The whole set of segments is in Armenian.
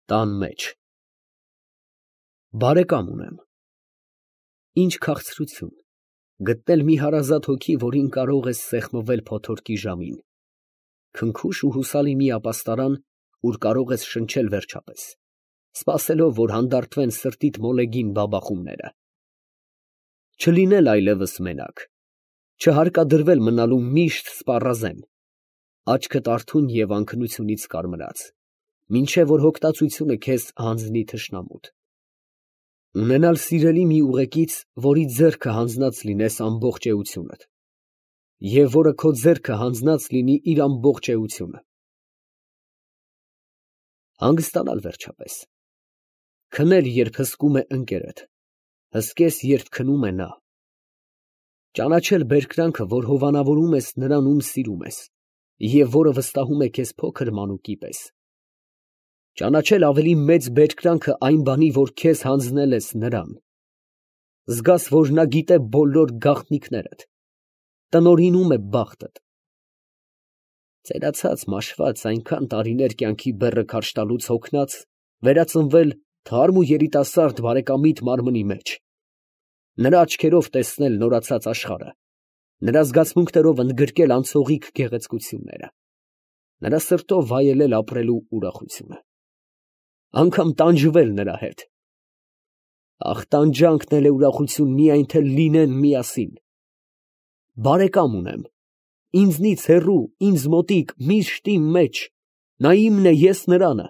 Տան մեջ։ Բարեկամ ունեմ։ Ինչ քաղցրություն գտնել մի հարազատ հոգի, որին կարող ես սեղմվել փոթորկի ժամին, քնքուշ ու հուսալի մի ապաստարան, ուր կարող ես շնչել վերջապես, սպասելով, որ հանդարտվեն սրտիդ մոլեգին բաբախումները։ Չլինել այլևս մենակ, չհարկադրվել մնալու միշտ սպառազեն, աչքդ արթուն և անքնությունից կարմրած, մինչև որ հոգտացությունը քեզ հանձնի թշնամուդ։ Ունենալ սիրելի մի ուղեկից, որի ձեռքը հանձնած լինես ամբողջ էությունդ, և որը քո ձեռքը հանձնած լինի իր ամբողջ էությունը։ Հանգստանալ վերջապես։ Քնել, երբ հսկում է ընկերդ, հսկես, երբ քնում է նա։ Ճանաչել բերկրանքը, որ հովանավորում ես նրան, ում սիրում ես, և որը վստահում է քեզ փոքր մանուկի պես։ Ճանաչել ավելի մեծ բերկրանքը այն բանի, որ քեզ հանձնել ես նրան։ Զգաս, որ նա գիտե բոլոր գաղտնիքներդ, տնօրինում է բախտդ։ Ծերացած, մաշված, այնքան տարիներ կյանքի բեռը քարշ տալուց հոգնած, վերածնվել թարմ ու երիտասարդ բարեկամիդ մարմնի մեջ, նրա աչքերով տեսնել նորացած աշխարհը, նրա զգացմունքներով ընդգրկել անցողիկ գեղեցկությունները, նրա սրտով վայելել ապրելու ուրախությունը, անգամ տանջվել նրա հետ։ Ախ, տանջանքն էլ է ուրախություն, միայն թե լինեն միասին։ Բարեկամ ունեմ, ինձնից հեռու, ինձ մոտիկ, միշտ իմ մեջ, նա իմն է, ես նրանը,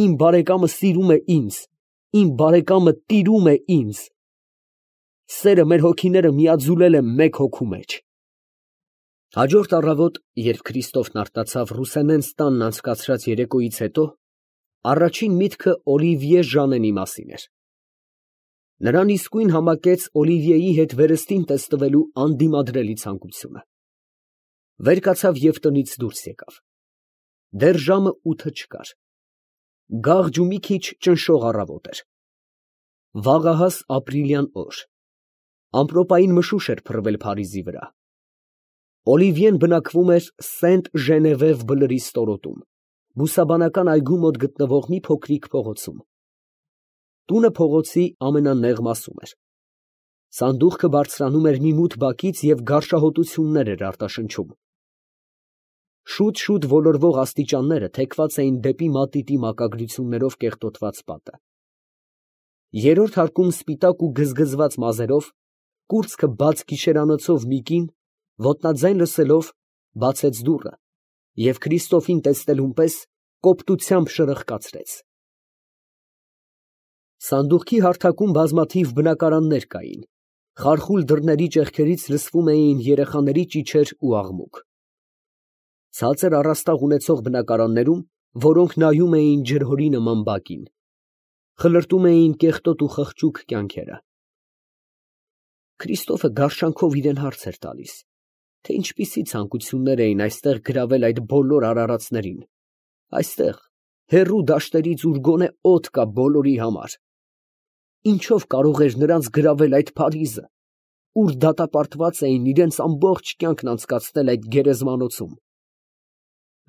իմ բարեկամը սիրում է ինձ, իմ բարեկամը տիրում է ինձ։ Սերը մեր հոգիները միաձուլել է մեկ հոգու մեջ։ Հաջորդ առավոտ, երբ Քրիստոֆն արտացավ Ռուսենենս տանն անցկացրած երեկոյից հետո, առաջին միտքը Օլիվիե Ժանենի մասին էր։ Նրան իսկույն համակեց Օլիվիեի հետ վերստին տեսնվելու անդիմադրելի ցանկությունը։ Վեր կացավ և տնից դուրս եկավ։ Դեռ ժամը 8 չկար։ Գաղջ ու մի քիչ ճնշող առավոտ էր։ Վաղահաս ապրիլյան օր։ Ամպրոպային մշուշ էր փռվել Փարիզի վրա։ Օլիվիեն բնակվում էր Սենտ Ժենևև բլրի ստորոտում, բուսաբանական այգու մոտ գտնվող մի փոքրիկ փողոցում։ Տունը փողոցի ամենանեղ մասում էր։ Սանդուղքը բարձրանում էր մի մութ բակից և գարշահոտություններ էր արտաշնչում։ Շուտ ոլորվող աստիճանները թեքված էին դեպի մատիտի մակագրություններով կեղտոտված պատը։ Երրորդ հարկում սպիտակ ու գզգզված մազերով, կուրծքը բաց գիշերանոցով մի կին, ոտնաձայն լսելով, բացեց դուռը և Քրիստոֆին տեսնելուն պես կոպտությամբ շրխկացրեց։ Սանդուղքի հարթակում բազմաթիվ բնակարաններ կային, խարխուլ դռների ճեղքերից լսվում էին երեխաների ճիչեր ու աղմուկ։ Ցածր առաստաղ ունեցող բնակարաններում, որոնք նայում էին ջրհորի նման բակին, խլրտում էին կեղտոտ ու խղճուկ կյանքերը։ Քրիստոֆը գարշանքով իրան հարց էր տալիս, թե ինչպիսի ցանկություններ էին այստեղ գրավել այդ բոլոր արարածներին, այստեղ, հեռու դաշտերից, ուր գոնե օդ կա բոլորի համար։ Ինչով կարող էր նրանց գրավել այդ Փարիզը, ուր դատապարտված էին իրենց ամբողջ կյանքն անցկացնել այդ գերեզմանոցում։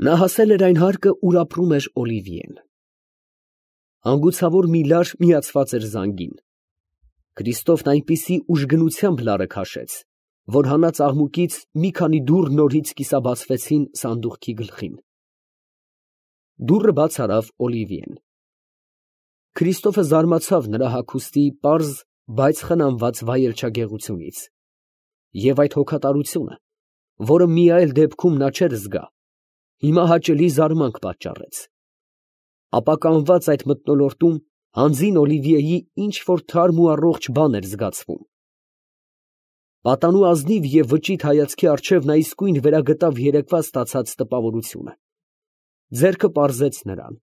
Նա հասել էր այն հարկը, ուր ապրում էր Օլիվիեն։ Հանգուցավոր մի լար միացված էր զանգին։ Քրիստոֆն այնպիսի ուժգնությամբ լարը քաշեց, որ հանած աղմուկից մի քանի դուռ նորից կիսաբացվեցին սանդուղքի գլխին։ Դուռը բաց արավ Օլիվիեն։ Քրիստոֆը զարմացավ նրա հագուստի պարզ, բայց խնամված վայելչագեղությունից, և այդ հոգատարությունը, որը մի այլ դեպքում նա չէր զգա, հիմա հաճելի զարմանք պատճառեց։ Ապականված այդ մթնոլորտում հանձին Օլիվիեի ինչ֊որ թարմ ու առողջ բան էր զգացվում։ Պատանու ազնիվ և վճիտ հայացքի առջև նա իսկույն վերագտավ երեկվա ստացած տպավորությունը։ Ձեռքը պարզեց նրան։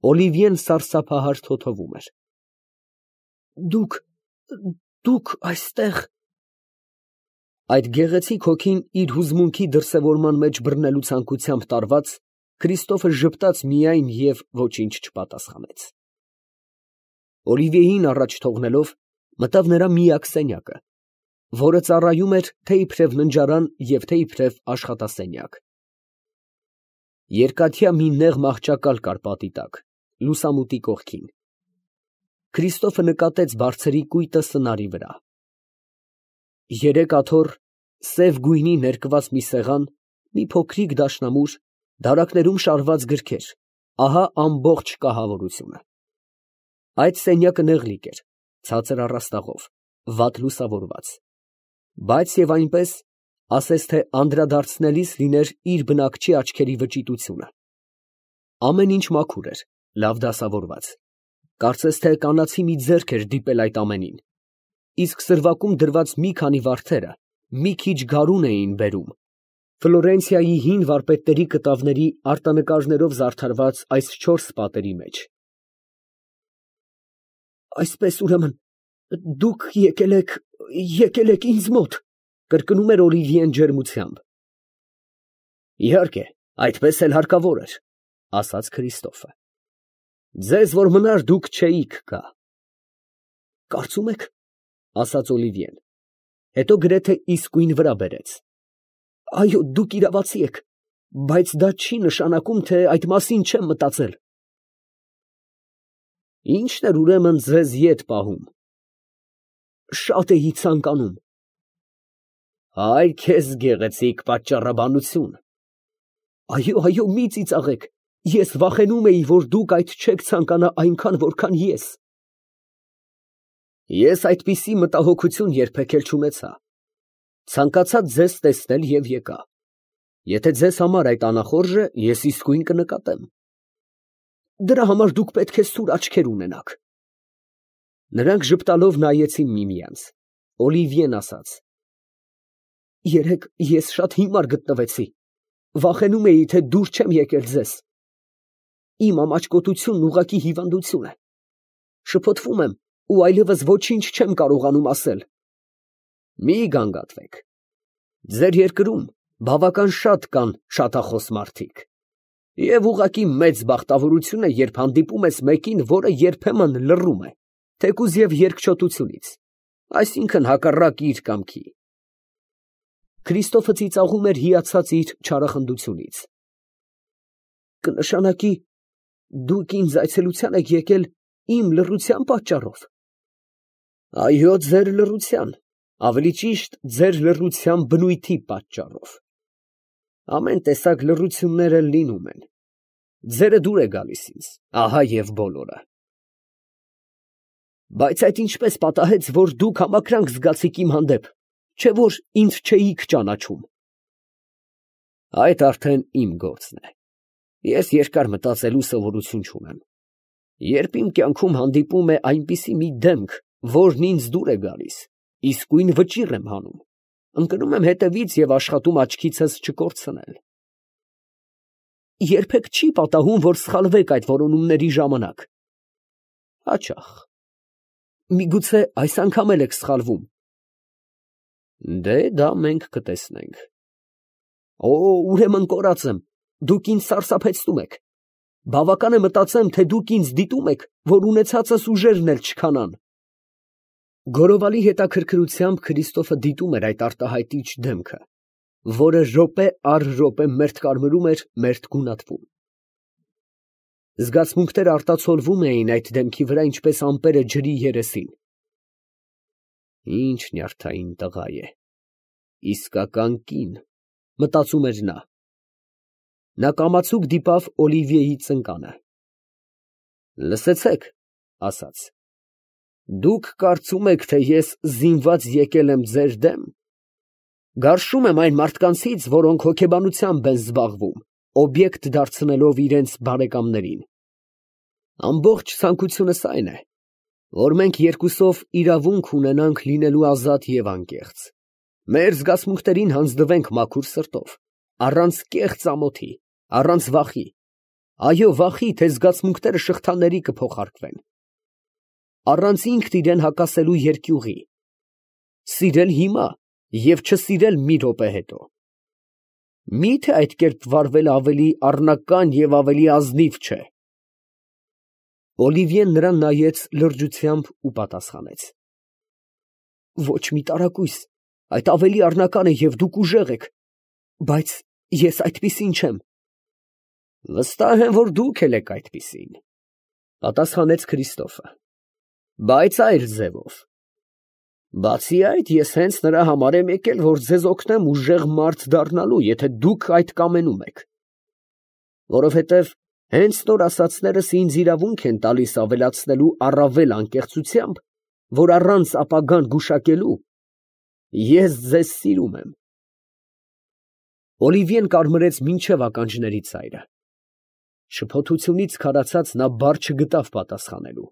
Օլիվիեն սարսափահար թոթվում էր։ Դուք այստեղ… Այդ գեղեցիկ հոգին իր հուզմունքի դրսևորման մեջ բռնելու ցանկությամբ տարված, Քրիստոֆը ժպտաց միայն և ոչինչ չպատասխանեց։ Օլիվիեին առաջ թողնելով, մտավ նրա միակ սենյակը, որը ծառայում էր թե իբրև ննջարան և թե իբրև աշխատասենյակ։ Երկաթյա մի նեղ մահճակալ կար պատի տակ, լուսամուտի կողքին։ Քրիստոֆը նկատեց բարձրի կույտը սնարի վրա։ Երեք աթոռ սև գույնի ներկված մի սեղան, մի փոքրիկ դաշնամուր, դարակներում շարված գրքեր, ահա ամբողջ կահավորությունը։ Այդ սենյակը նեղլիկ էր, ցածր առաստաղով, վատ լուսավորված, բայց և այնպես, ասես թե անդրադարձնելիս լիներ իր բնակչի աչքերի վճիտությունը։ Ամեն ինչ մաքուր էր, լավ դասավորված, կարծես թե կանացի մի ձեռք էր դիպել այդ ամենին, իսկ սրվակում դրված մի քանի վարդերը մի քիչ գարուն էին բերում Ֆլորենցիայի հին վարպետների կտավների արտանկարներով զարդարված այս 4 պատերի մեջ։ Այսպես ուրեմն դուք եկել եք ինձ մոտ, կրկնում էր Օլիվիեն ջերմությամբ։ Իհարկե, այդպես էլ հարկավոր էր, ասաց Քրիստոֆը։ Ձեզ որ մնար դուք չէիք գա։ Կարծում եք, ասաց Օլիվիեն, հետո գրեթե իսկույն վրա բերեց։ Այո, դուք իրավացի եք, բայց դա չի նշանակում, թե այդ մասին չեմ մտածել։ Ի՞նչն էր ուրեմն ձեզ ետ պահում։ Շատ էի ցանկանում։ Այ քեզ գեղեցիկ պատճառաբանություն։ Այո, մի ծիծաղեք, ես վախենում էի, որ դուք այդ չեք ցանկանա այնքան, որքան ես։ Ես այդպիսի մտահոգություն երբեք էլ չունեցա։ Ցանկացա ձեզ տեսնել և եկա։ Եթե ձեզ համար այդ անախորժ է, ես իսկույն կնկատեմ։ Դրա համար դուք պետք է սուր աչքեր ունենաք։ Նրանք ժպտալով նայեցին միմյանց։ Օլիվիեն ասաց. Երեկ ես շատ հիմար գտնվեցի։ Վախենում էի, թե դուր չեմ եկել ձեզ։ Իմ ամաչկոտությունն ուղղակի հիվանդություն է։ Շփոթվում եմ ու այլևս ոչինչ չեմ կարողանում ասել։ Մի գանգատվեք։ Ձեր երկրում բավական շատ կան շատախոս մարդիկ։ Եվ ուղղակի մեծ բախտավորություն է, երբ հանդիպում ես մեկին, որը երբեմն լռում է, թեկուզ և երկչոտությունից, այսինքն հակառակ իր կամքի։ Քրիստոֆը ծիծաղում էր հիացած իր չարախնդությունից։ Կնշանակի, դուք ինձ այցելության եք եկել իմ լռության պատճառով։ Այո, ձեր լռության, ավելի ճիշտ, ձեր լռության բնույթի պատճառով։ Ամեն տեսակ լռություններ էլ լինում են։ Ձերը դուր է գալիս ինձ, ահա և բոլորը։ Բայց այդ ինչպես պատահեց, որ դուք համակրանք զգացիք իմ հանդեպ, չէ՞ որ ինձ չէիք ճանաչում։ Այդ արդեն իմ գործն է։ Ես երկար մտածելու սովորություն չունեմ։ Երբ իմ կյանքում հանդիպում է այնպիսի մի դեմք, որն ինձ դուր է գալիս, իսկույն վճիռ եմ հանում, ընկնում եմ հետևից և աշխատում աչքիցս չկորցնել։ Երբեք չի պատահում, որ սխալվեք այդ որոնումների ժամանակ։ Հաճախ։ Միգուցե այս անգամ էլ եք սխալվում։ Դե դա մենք կտեսնենք։ Օ, ուրեմն կորած եմ, դուք ինձ սարսափեցնում եք։ Բավական է մտածեմ, թե դուք ինձ դիտում եք, որ ունեցածս ուժերն էլ չքանան։ Գորովալի հետաքրքրությամբ Քրիստոֆը դիտում էր այդ արտահայտիչ դեմքը, որը րոպե առ րոպե մերթ կարմրում էր, մերթ գունատվում։ Զգացմունքները արտացոլվում էին այդ դեմքի վրա, ինչպես ամպերը ջրի երեսին։ Ինչ նյարդային տղա է, իսկական կին, մտածում էր նա։ Նա կամացուկ դիպավ Օլիվիեի ծնկանը։ Լսեցեք, ասաց, դուք կարծում եք, թե ես զինված եկել եմ ձեր դեմ։ Գարշում եմ այն մարդկանցից, որոնք հոգեբանությամբ են զբաղվում, օբյեկտ դարձնելով իրենց բարեկամներին։ Ամբողջ ցանկությունս այն է, որ մենք երկուսով իրավունք ունենանք լինելու ազատ և անկեղծ։ Մեր զգացմունքներին հանձնվենք մաքուր սրտով, առանց կեղծ ամոթի, առանց վախի, այո, վախի, թե զգացմունքները շղթաների կփոխարկվեն, առանց ինքն իրեն հակասելու երկյուղի, սիրել հիմա և չսիրել մի րոպե հետո։ Մի՞թե այդ կերպ վարվելը ավելի առնական և ավելի ազնիվ չէ։ Օլիվիեն նրան նայեց լրջությամբ ու պատասխանեց. Ոչ մի տարակույս, այդ ավելի առնական է և դուք ուժեղ եք, բայց ես այդպիսին չեմ։ Վստահ եմ, որ դուք էլ եք այդպիսին։ Պատասխանեց Քրիստոֆը։ Բայց այլ ձևով։ Բացի այդ, ես հենց նրա համար եմ եկել, որ ձեզ օգնեմ ուժեղ մարդ դառնալու, եթե դուք այդ կամենում եք։ Որովհետև հենց նոր ասածներս ինձ իրավունք են տալիս ավելացնելու առավել անկեղծությամբ, որ առանց ապագան գուշակելու ես ձեզ սիրում եմ։ Օլիվիեն կարմրեց մինչև ականջների ծայրը։ Շփոթությունից քարացած նա բառ չգտավ պատասխանելու։